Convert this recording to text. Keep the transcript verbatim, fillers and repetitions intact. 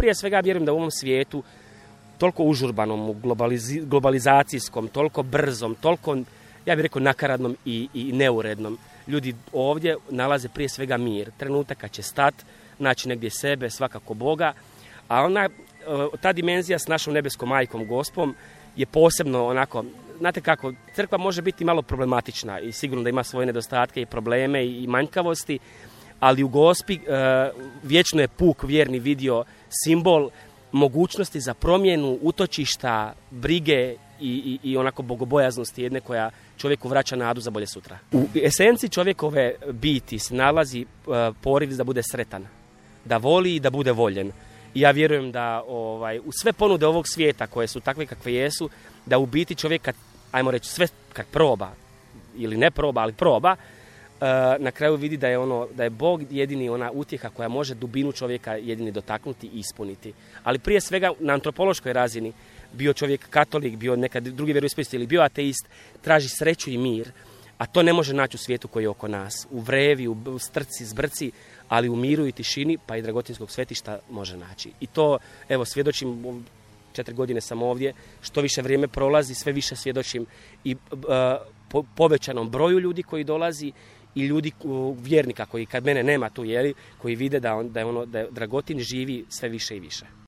prije svega vjerujem da u ovom svijetu, toliko užurbanom, globaliz- globalizacijskom, toliko brzom, toliko, ja bih rekao, nakaradnom i, i neurednom, ljudi ovdje nalaze prije svega mir. Trenutak kad će stat, naći negdje sebe, svakako Boga, a ona, ta dimenzija s našom nebeskom majkom, Gospom, je posebno onako, znate kako, crkva može biti malo problematična i sigurno da ima svoje nedostatke i probleme i manjkavosti, ali u Gospi vječno je puk vjerni vidio simbol mogućnosti za promjenu utočišta, brige i, i, i onako bogobojaznosti jedne koja čovjeku vraća nadu za bolje sutra. U esenciji čovjekove biti se nalazi poriv da bude sretan, da voli i da bude voljen. I ja vjerujem da ovaj, u sve ponude ovog svijeta koje su takve kakve jesu, da u biti čovjek kad, ajmo reći, sve kad proba, ili ne proba, ali proba, na kraju vidi da je ono, da je Bog jedini ona utjeha koja može dubinu čovjeka jedini dotaknuti i ispuniti. Ali prije svega na antropološkoj razini, bio čovjek katolik, bio nekad drugi vjeroispovijesti ili bio ateist, traži sreću i mir, a to ne može naći u svijetu koji je oko nas. U vrevi, u strci, zbrci, ali u miru i tišini, pa i dragotinskog svetišta može naći. I to, evo, svjedočim, četiri godine sam ovdje, što više vrijeme prolazi, sve više svjedočim i uh, po, povećanom broju ljudi koji dolazi i ljudi, uh, vjernika koji, kad mene nema tu, jeli, koji vide da, on, da, je ono, da je Dragotin živi sve više i više.